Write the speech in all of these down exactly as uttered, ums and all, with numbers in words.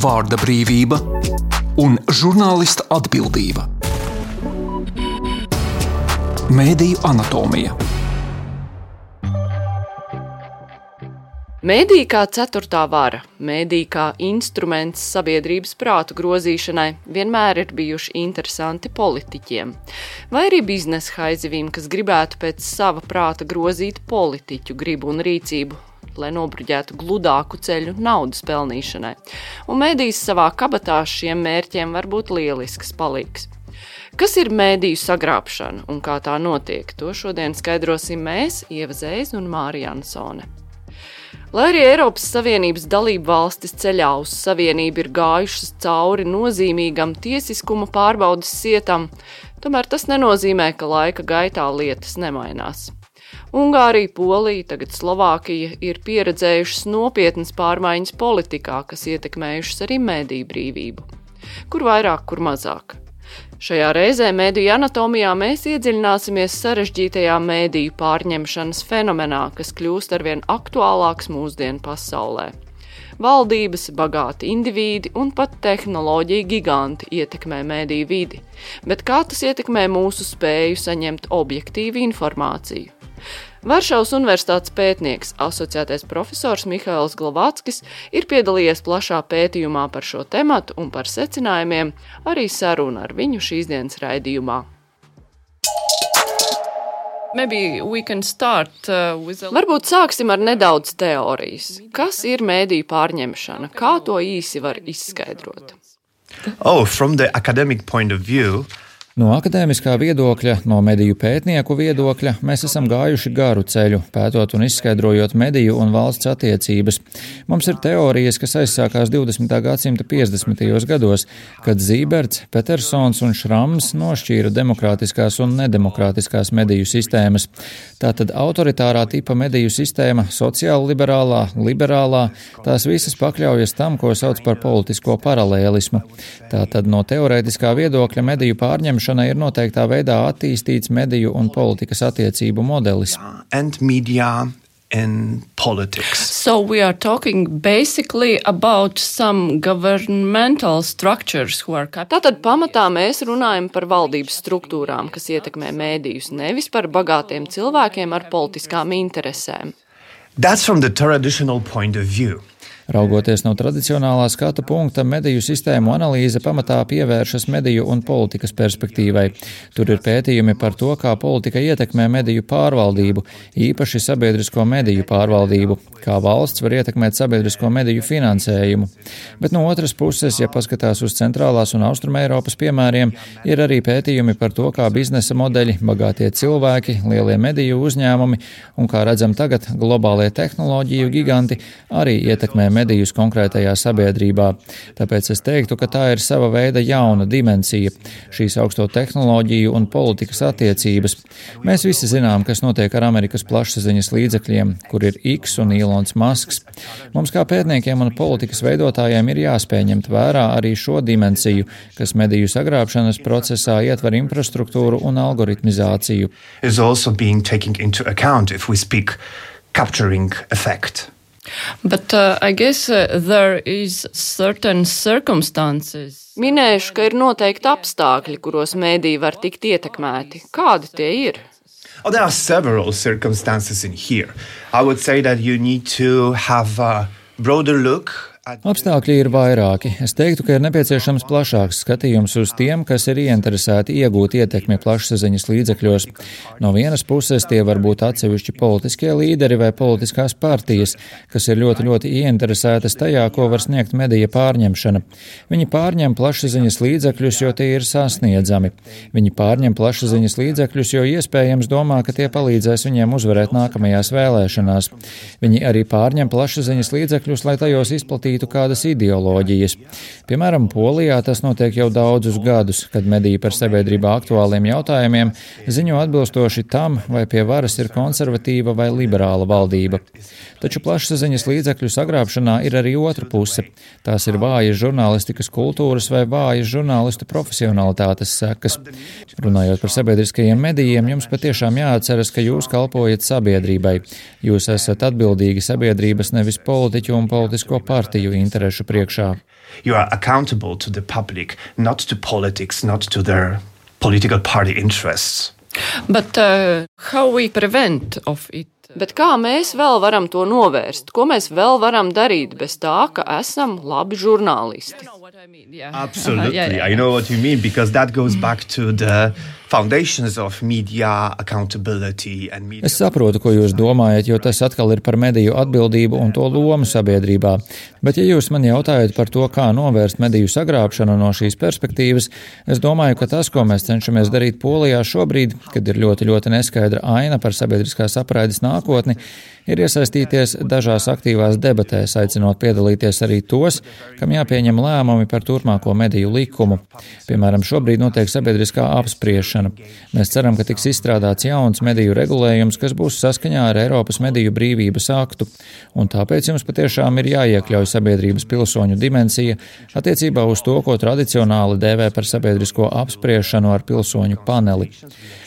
vārda brīvība un žurnālista atbildība. Mēdīju anatomija. Mēdīji kā ceturtā vara, mēdīji kā instruments sabiedrības prātu grozīšanai vienmēr ir bijuši interesanti politiķiem, vai arī biznesa haizivīm, kas gribētu pēc sava prāta grozīt politiķu gribu un rīcību, lai nobruģētu gludāku ceļu naudas pelnīšanai. Un mēdījis savā kabatā šiem mērķiem var būt lielisks palīgs. Kas ir mēdīju sagrābšana un kā tā notiek? To šodien skaidrosim mēs, Ieva Zēze un Mārija Ansone. Lai arī Eiropas Savienības dalību valstis ceļā uz Savienību ir gājušas cauri nozīmīgam tiesiskuma pārbaudes sietam, tomēr tas nenozīmē, ka laika gaitā lietas nemainās. Ungārija, Polija, tagad Slovākija ir pieredzējušas nopietnas pārmaiņas politikā, kas ietekmējušas arī mēdīju brīvību. Kur vairāk, kur mazāk. Šajā reizē mēdīju anatomijā mēs iedziļināsimies sarežģītajā mēdīju pārņemšanas fenomenā, kas kļūst arvien aktuālāks mūsdienu pasaulē. Valdības, bagāti indivīdi un pat tehnoloģija giganti ietekmē mēdīju vidi, bet kā tas ietekmē mūsu spēju saņemt objektīvu informāciju? Varšavas universitātes pētnieks, asociētais profesors Mihails Glovackis ir piedalījies plašā pētījumā par šo tematu un par secinājumiem, arī saruna ar viņu šīs dienas raidījumā. Maybe we can start, uh, with a... Varbūt sāksim ar nedaudz teorijas. Kas ir mēdīju pārņemšana? Kā to īsi var izskaidrot? Oh, from the academic point of view, No akadēmiskā viedokļa, no mediju pētnieku viedokļa, mēs esam gājuši garu ceļu, pētot un izskaidrojot mediju un valsts attiecības. Mums ir teorijas, kas aizsākās divdesmitā gadsimta piecdesmitajos gados, kad Zīberts, Petersons un Šrams nošķīra demokrātiskās un nedemokrātiskās mediju sistēmas. Tātad autoritārā tipa mediju sistēma, sociāli-liberālā, liberālā, tās visas pakļaujas tam, ko sauc par politisko paralēlismu. Tātad no teorētiskā viedokļa mediju pārņemšana ir noteiktā veidā attīstīts mediju un politikas attiecību modelis. And media and politics. So we are talking basically about some governmental structures who are... Tātad pamatā mēs runājam par valdības struktūrām, kas ietekmē mēdījus, nevis par bagātiem cilvēkiem ar politiskām interesēm. That's from the traditional point of view. Raugoties no tradicionālā skatu punkta, mediju sistēmu analīze pamatā pievēršas mediju un politikas perspektīvai. Tur ir pētījumi par to, kā politika ietekmē mediju pārvaldību, īpaši sabiedrisko mediju pārvaldību, kā valsts var ietekmēt sabiedrisko mediju finansējumu. Bet no otras puses, ja paskatās uz centrālās un austrumeiropas piemēriem, ir arī pētījumi par to, kā biznesa modeļi, bagātie cilvēki, lielie mediju uzņēmumi un, kā redzam tagad, globālie tehnoloģiju giganti arī ietekmē medijus konkrētajā sabiedrībā. Tāpēc es teiktu, ka tā ir sava veida jauna dimensija, šīs augsto tehnoloģiju un politikas attiecības. Mēs visi zinām, kas notiek ar Amerikas plašsaziņas līdzekļiem, kur ir X un Ilons Masks. Mums kā pētniekiem un politikas veidotājiem ir jāspēj ņemt vērā arī šo dimensiju, kas mediju sagrābšanas procesā ietver infrastruktūru un algoritmizāciju. Is also being taken into account if we speak capturing effect. But uh, I guess uh, there is certain circumstances. Minēšu, ka ir noteikti apstākļi, kuros mēdīji var tikt ietekmēti. Kādi tie ir? Oh, there are several circumstances in here. I would say that you need to have a broader look. Apstākļi ir vairāki. Es teiktu, ka ir nepieciešams plašāks skatījums uz tiem, kas ir ieinteresēti iegūt ietekmi plašsaziņas līdzekļos. No vienas puses tie var būt atsevišķi politiskie līderi vai politiskās partijas, kas ir ļoti, ļoti ieinteresētas tajā, ko var sniegt medija pārņemšana. Viņi pārņem plašsaziņas līdzekļus, jo tie ir sasniedzami. Viņi pārņem plašsaziņas līdzekļus, jo iespējams domā, ka tie palīdzēs viņiem uzvarēt nākamajās vēlēšanās. Viņi arī pārņem plašsaziņas līdzekļus, lai tajos izplatītu kādas ideoloģijas. Piemēram, Polijā tas notiek jau daudzus gadus, kad mediji par sabiedrībā aktuāliem jautājumiem ziņo atbilstoši tam, vai pie varas ir konservatīva vai liberāla valdība. Taču plašsaziņas līdzekļu sagrābšanā ir arī otra puse. Tās ir vājas žurnālistikas kultūras vai vājas žurnālistu profesionalitātes sekas. Runājot par sabiedriskajiem medijiem, jums patiešām jāatceras, ka jūs kalpojat sabiedrībai. Jūs esat atbildīgi sabiedrības, nevis politiķu un politisko partiju mediju interešu priekšā. You are accountable to the public, not to politics, not to their political party interests. But uh, how we prevent of it? Bet kā mēs vēl varam to novērst? Ko mēs vēl varam darīt bez tā, ka esam labi žurnālisti? Absolutely, yeah, yeah. I know what you mean, because that goes back to the foundations of media accountability and media. Es saprotu, ko jūs domājat, jo tas atkal ir par mediju atbildību un to lomu sabiedrībā. Bet, ja jūs man jautājat par to, kā novērst mediju sagrābšanu no šīs perspektīvas, es domāju, ka tas, ko mēs cenšamies darīt Polijā šobrīd, kad ir ļoti, ļoti neskaidra aina par sabiedriskās apraides nākotni, ir iesaistīties dažās aktīvās debatēs, aicinot piedalīties arī tos, kam jāpieņem lēmumi par turpmāko mediju likumu. Piemēram, šobrīd notiek sabiedriskā apspriešana. Mēs ceram, ka tiks izstrādāts jauns mediju regulējums, kas būs saskaņā ar Eiropas mediju brīvības aktu, un tāpēc jums patiešām ir jāiekļauj sabiedrības pilsoņu dimensija attiecībā uz to, ko tradicionāli dēvē par sabiedrisko apspriešanu ar pilsoņu paneli.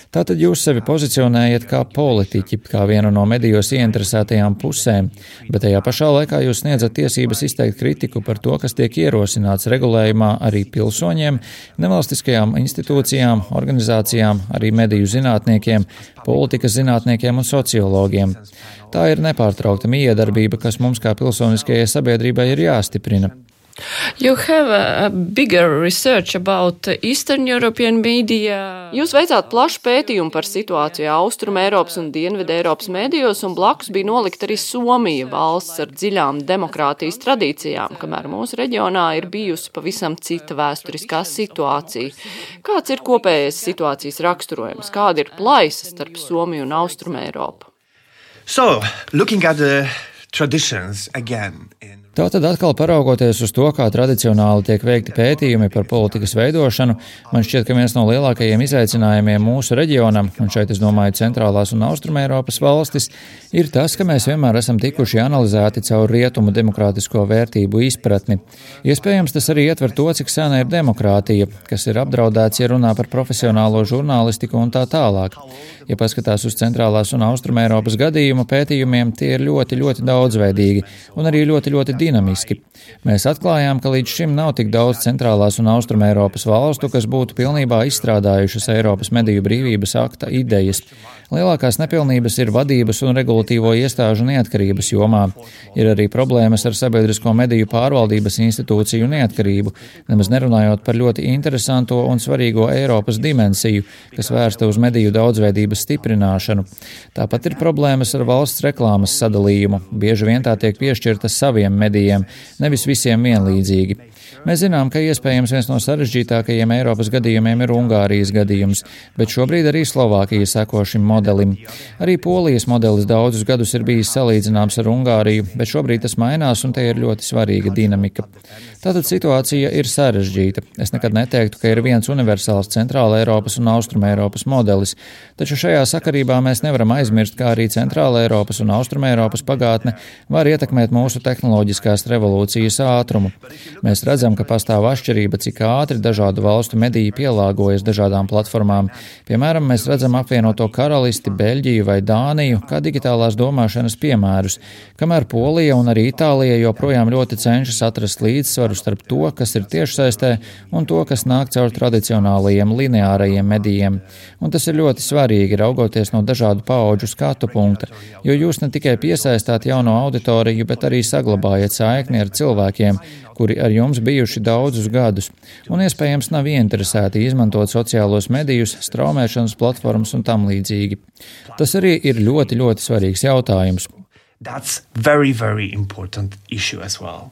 Tātad jūs sevi pozicionējat kā politiķi, kā vienu no medijos ieinteresētajām pusēm, bet tajā pašā laikā jūs sniedzat tiesības izteikt kritiku par to, kas tiek ierosināts regulējumā arī pilsoņiem, nevalstiskajām institūcijām, organizācijām, arī mediju zinātniekiem, politikas zinātniekiem un sociologiem. Tā ir nepārtraukta miedarbība, kas mums kā pilsoniskajai sabiedrībai ir jāstiprina. You have a bigger research about Eastern European media. Jūs veicāt plašu pētījumu par situāciju Austrum Eiropas un Dienvidu Eiropas medijos, un blakus bija nolikt arī Somija, valsts ar dziļām demokrātijas tradīcijām, kamēr mūsu reģionā ir bijusi pavisam cita vēsturiskā situācija. Kāds ir kopējais situācijas raksturojums? Kāda ir plaisa starp Somiju un Austrum Eiropu? So, looking at the traditions again in Tātad atkal paraugoties uz to, kā tradicionāli tiek veikti pētījumi par politikas veidošanu, man šķiet, ka viens no lielākajiem izaicinājumiem mūsu reģionam, un šeit es domāju centrālās un austrumeiropas valstis, ir tas, ka mēs vienmēr esam tikuši analizēti caur rietumu demokrātisko vērtību izpratni. Iespējams, tas arī ietver to, cik sena ir demokrātija, kas ir apdraudēts, ja runā par profesionālo žurnālistiku un tā tālāk. Ja paskatās uz centrālās un austrumeiropas gadījumu pētījumiem, tie ir ļoti, ļoti daudzveidīgi un arī ļoti, ļoti dinamiski. Mēs atklājām, ka līdz šim nav tik daudz centrālās un austrumeiropas valstu, kas būtu pilnībā izstrādājušas Eiropas mediju brīvības akta idejas. Lielākās nepilnības ir vadības un regulatīvo iestāžu neatkarības jomā. Ir arī problēmas ar sabiedrisko mediju pārvaldības institūciju neatkarību, nemaz nerunājot par ļoti interesanto un svarīgo Eiropas dimensiju, kas vērsta uz mediju daudzveidības stiprināšanu. Tāpat ir problēmas ar valsts reklāmas sadalījumu. Bieži vien tā tiek piešķirta saviem medijiem, nevis visiem vienlīdzīgi. Mēs zinām, ka iespējams viens no sarežģītākajiem Eiropas gadījumiem ir Ungārijas gadījums, bet šobrīd arī Slovākija seko šim modelim. Arī Polijas modelis daudzus gadus ir bijis salīdzināms ar Ungāriju, bet šobrīd tas mainās un te ir ļoti svarīga dinamika. Tātad situācija ir sarežģīta. Es nekad neteiktu, ka ir viens universāls centrāla Eiropas un austruma Eiropas modelis, taču šajā sakarībā mēs nevaram aizmirst, kā arī centrāla Eiropas un austruma Eiropas pagātne var ietekmēt mūsu tehnoloģiskās revolūcijas ātrumu. Mēs redzam, ka pastāv atšķirība, cik ātri dažādu valstu mediji pielāgojas dažādām platformām. Piemēram, mēs redzam apvienoto karalisti, Beļģiju vai Dāniju kā digitālās domāšanas piemērus, kamēr Polija un arī Itālija joprojām ļoti cenšas atrast līdzsvaru starp to, kas ir tiešsaistē, un to, kas nāk caur tradicionālajiem lineārajiem medijiem. Un tas ir ļoti svarīgi, raugoties no dažādu paudžu skatu punkta, jo jūs ne tikai piesaistāt jauno auditoriju, bet arī saglabājat saikni ar cilvēkiem, kuri ar jums bijuši daudzus gadus, un iespējams nav ieinteresēti izmantot sociālos medijus, straumēšanas platformas un tam līdzīgi. Tas arī ir ļoti, ļoti svarīgs jautājums. That's very, very important issue as well.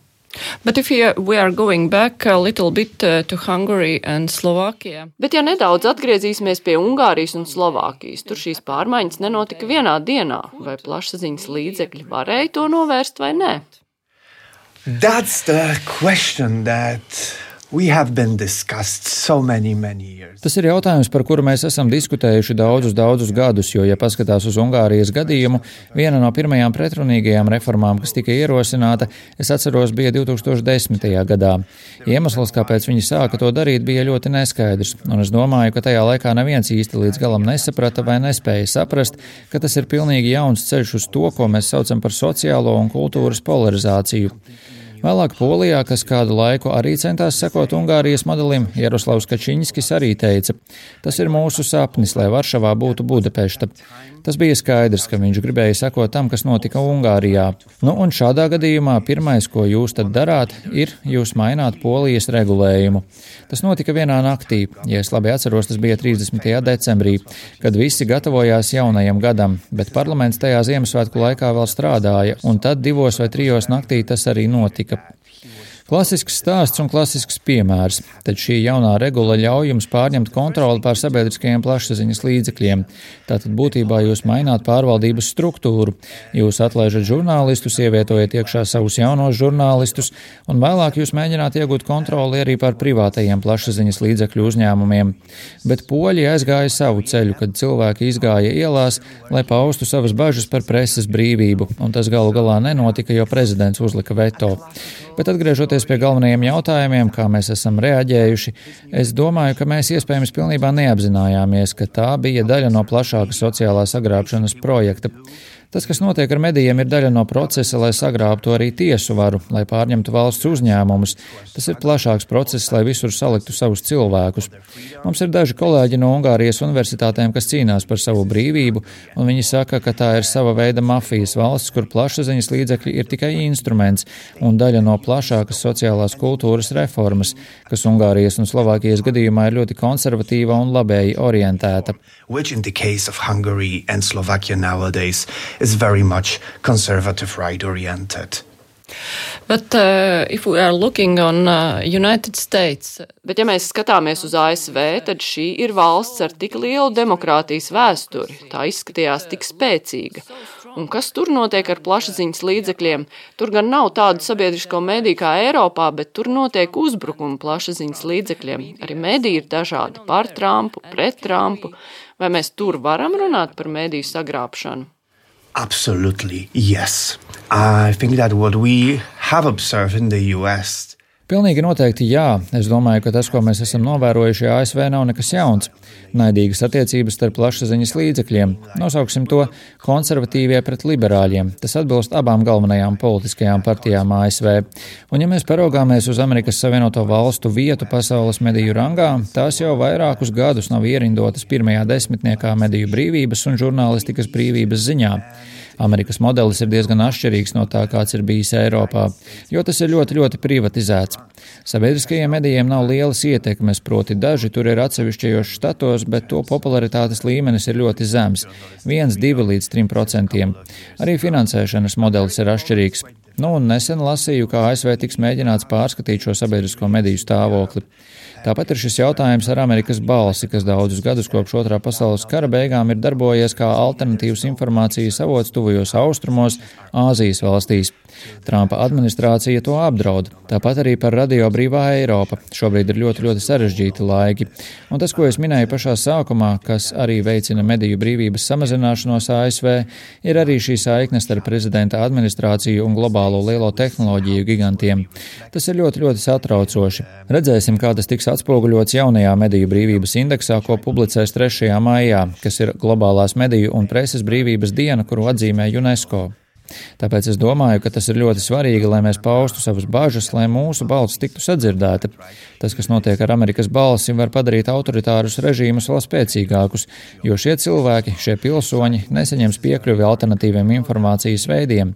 But if we are going back a little bit to Hungary and Slovakia. Bet ja nedaudz atgriezīsimies pie Ungārijas un Slovākijas, tur šīs pārmaiņas nenotika vienā dienā, vai plašsaziņas līdzekļi varēja to novērst vai nē? That's the question that we have been discussed so many, many years. Tas ir jautājums, par kuru mēs esam diskutējuši daudzus, daudzus gadus, jo, ja paskatās uz Ungārijas gadījumu, viena no pirmajām pretrunīgajām reformām, kas tika ierosināta, es atceros, bija divi tūkstoši desmitajā gadā. Iemesls, kāpēc viņi sāka to darīt, bija ļoti neskaidrs, un es domāju, ka tajā laikā neviens īsti līdz galam nesaprata vai nespēja saprast, ka tas ir pilnīgi jauns ceļš uz to, ko mēs saucam par sociālo un kultūras polarizāciju. Vēlāk Polijā, kas kādu laiku arī centās sekot Ungārijas modelim, Jaroslavs Kačinskis arī teica: tas ir mūsu sapnis, lai Varšavā būtu Budapešta. Tas bija skaidrs, ka viņš gribēja sekot tam, kas notika Ungārijā. Nu, un šādā gadījumā pirmais, ko jūs tad darāt, ir jūs maināt Polijas regulējumu. Tas notika vienā naktī, ja es labi atceros, tas bija trīsdesmitajā decembrī, kad visi gatavojās jaunajam gadam, bet parlaments tajā Ziemassvētku laikā vēl strādāja, un tad divos vai trijos naktī tas arī notika. Klasisks stāsts un klasisks piemērs, tad šī jaunā regula ļauj jums pārņemt kontroli pār sabiedriskajiem plašsaziņas līdzekļiem. Tātad būtībā jūs maināt pārvaldības struktūru, jūs atlaižat žurnālistus, ievietojat iekšā savus jaunos žurnālistus, un vēlāk jūs mēģināt iegūt kontroli arī pār privātajiem plašsaziņas līdzekļu uzņēmumiem. Bet poļi aizgāja savu ceļu, kad cilvēki izgāja ielās, lai paustu savas bažas par preses brīvību, un tas galu galā nenotika, jo prezidents uzlika veto. Bet atgriežoties pie galvenajiem jautājumiem, kā mēs esam reaģējuši, es domāju, ka mēs iespējams pilnībā neapzinājāmies, ka tā bija daļa no plašāka sociālā sagrābšanas projekta. Tas, kas notiek ar medijiem, ir daļa no procesa, lai sagrābtu arī tiesu varu, lai pārņemtu valsts uzņēmumus. Tas ir plašāks process, lai visur saliktu savus cilvēkus. Mums ir daži kolēģi no Ungārijas universitātēm, kas cīnās par savu brīvību, un viņi saka, ka tā ir sava veida mafijas valsts, kur plašsaziņas līdzekļi ir tikai instruments un daļa no plašākas sociālās kultūras reformas, kas Ungārijas un Slovākijas gadījumā ir ļoti konservatīva un labēji orientēta. Which in the case of Hungary and Slovakia nowadays is very much conservative right-oriented. But uh, if we are looking on uh, United States, bet ja mēs skatāmies uz A S V, tad šī ir valsts ar tik lielu demokrātijas vēsturi, tā izskatījās tik spēcīga. Un kas tur notiek ar plašsaziņas līdzekļiem? Tur gan nav tādu sabiedrisko mediju kā Eiropā, bet tur notiek uzbrukumi plašsaziņas līdzekļiem. Arī mediji ir dažādi par Trumpu, pret Trumpu. Vai mēs tur varam runāt par mediju sagrābšanu? Absolutely, yes. I think that what we have observed in the U S Pilnīgi noteikti jā. Es domāju, ka tas, ko mēs esam novērojuši A S V, nav nekas jauns. Naidīgas attiecības starp plašsaziņas līdzekļiem. Nosauksim to konservatīvie pret liberāļiem. Tas atbilst abām galvenajām politiskajām partijām A S V. Un ja mēs paraugāmies uz Amerikas Savienoto Valstu vietu pasaules mediju rangā, tās jau vairākus gadus nav ierindotas pirmajā desmitniekā mediju brīvības un žurnālistikas brīvības ziņā. Amerikas modelis ir diezgan atšķirīgs no tā, kāds ir bijis Eiropā, jo tas ir ļoti, ļoti privatizēts. Sabiedriskajiem medijiem nav lielas ietekmes, proti daži tur ir atsevišķajos štatos, bet to popularitātes līmenis ir ļoti zems – viens, divi līdz trim procentiem. Arī finansēšanas modelis ir atšķirīgs. Nu, un nesen lasīju, kā A S V tiks mēģināts pārskatīt šo sabiedrisko mediju stāvokli. Tāpat ir šis jautājums ar Amerikas balsi, kas daudzus gadus kopš otrā pasaules kara beigām ir darbojies kā alternatīvas informācijas avots tuvajos austrumos, Āzijas valstīs. Trumpa administrācija to apdraud. Tāpat arī par Radio Brīvā Eiropa. Šobrīd ir ļoti, ļoti sarežģīti laiki. Un tas, ko es minēju pašā sākumā, kas arī veicina mediju brīvības samazināšanos A S V, ir arī šī saikne starp prezidenta administrāciju un globālo lielo tehnoloģiju gigantiem. Tas ir ļoti, ļoti satraucoši. Redzēsim, kā tas tiks atspoguļots jaunajā mediju brīvības indeksā, ko publicēs trešajā maijā, kas ir globālās mediju un preses brīvības diena, kuru atzīmē UNESCO. Tāpēc es domāju, ka tas ir ļoti svarīgi, lai mēs paustu savas bažas, lai mūsu balss tiktu sadzirdēta. Tas, kas notiek ar Amerikas balsi, var padarīt autoritārus režīmus vēl spēcīgākus, jo šie cilvēki, šie pilsoņi nesaņems piekļuvi alternatīviem informācijas veidiem.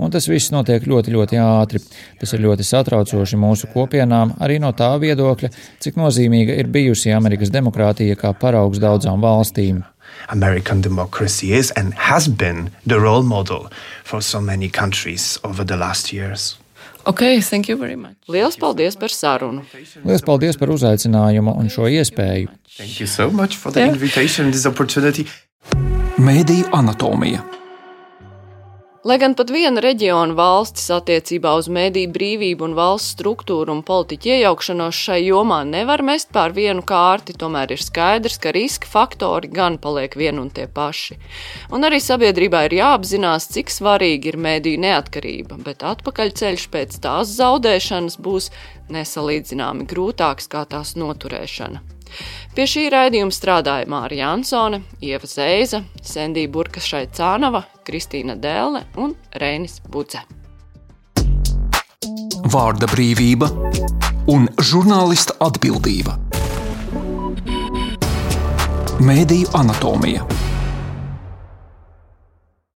Un tas viss notiek ļoti, ļoti ātri. Tas ir ļoti satraucoši mūsu kopienām, arī no tā viedokļa, cik nozīmīga ir bijusi Amerikas demokrātija kā paraugs daudzām valstīm. American democracy is and has been the role model for so many countries over the last years. Okay, thank you very much. Liels paldies par sarunu. Liels paldies par uzaicinājumu un šo iespēju. Thank you so much for the yeah. invitation and this opportunity. Mēdīju anatomija. Lai gan pat viena reģiona valstis attiecībā uz mediju brīvību un valsts struktūru un politiķu iejaukšanos šai jomā nevar mest pār vienu kārti, tomēr ir skaidrs, ka riska faktori gan paliek vien un tie paši. Un arī sabiedrībā ir jāapzinās, cik svarīgi ir mediju neatkarība, bet atpakaļceļš pēc tās zaudēšanas būs nesalīdzināmi grūtāks kā tās noturēšana. Pie šī raidījuma strādāja Mārija Jansone, Ieva Zeiza, Sendija Burkašai-Cānava, Kristīna Dēle un Reinis Budze. vārda brīvība un žurnālista atbildība. Mēdīju anatomija.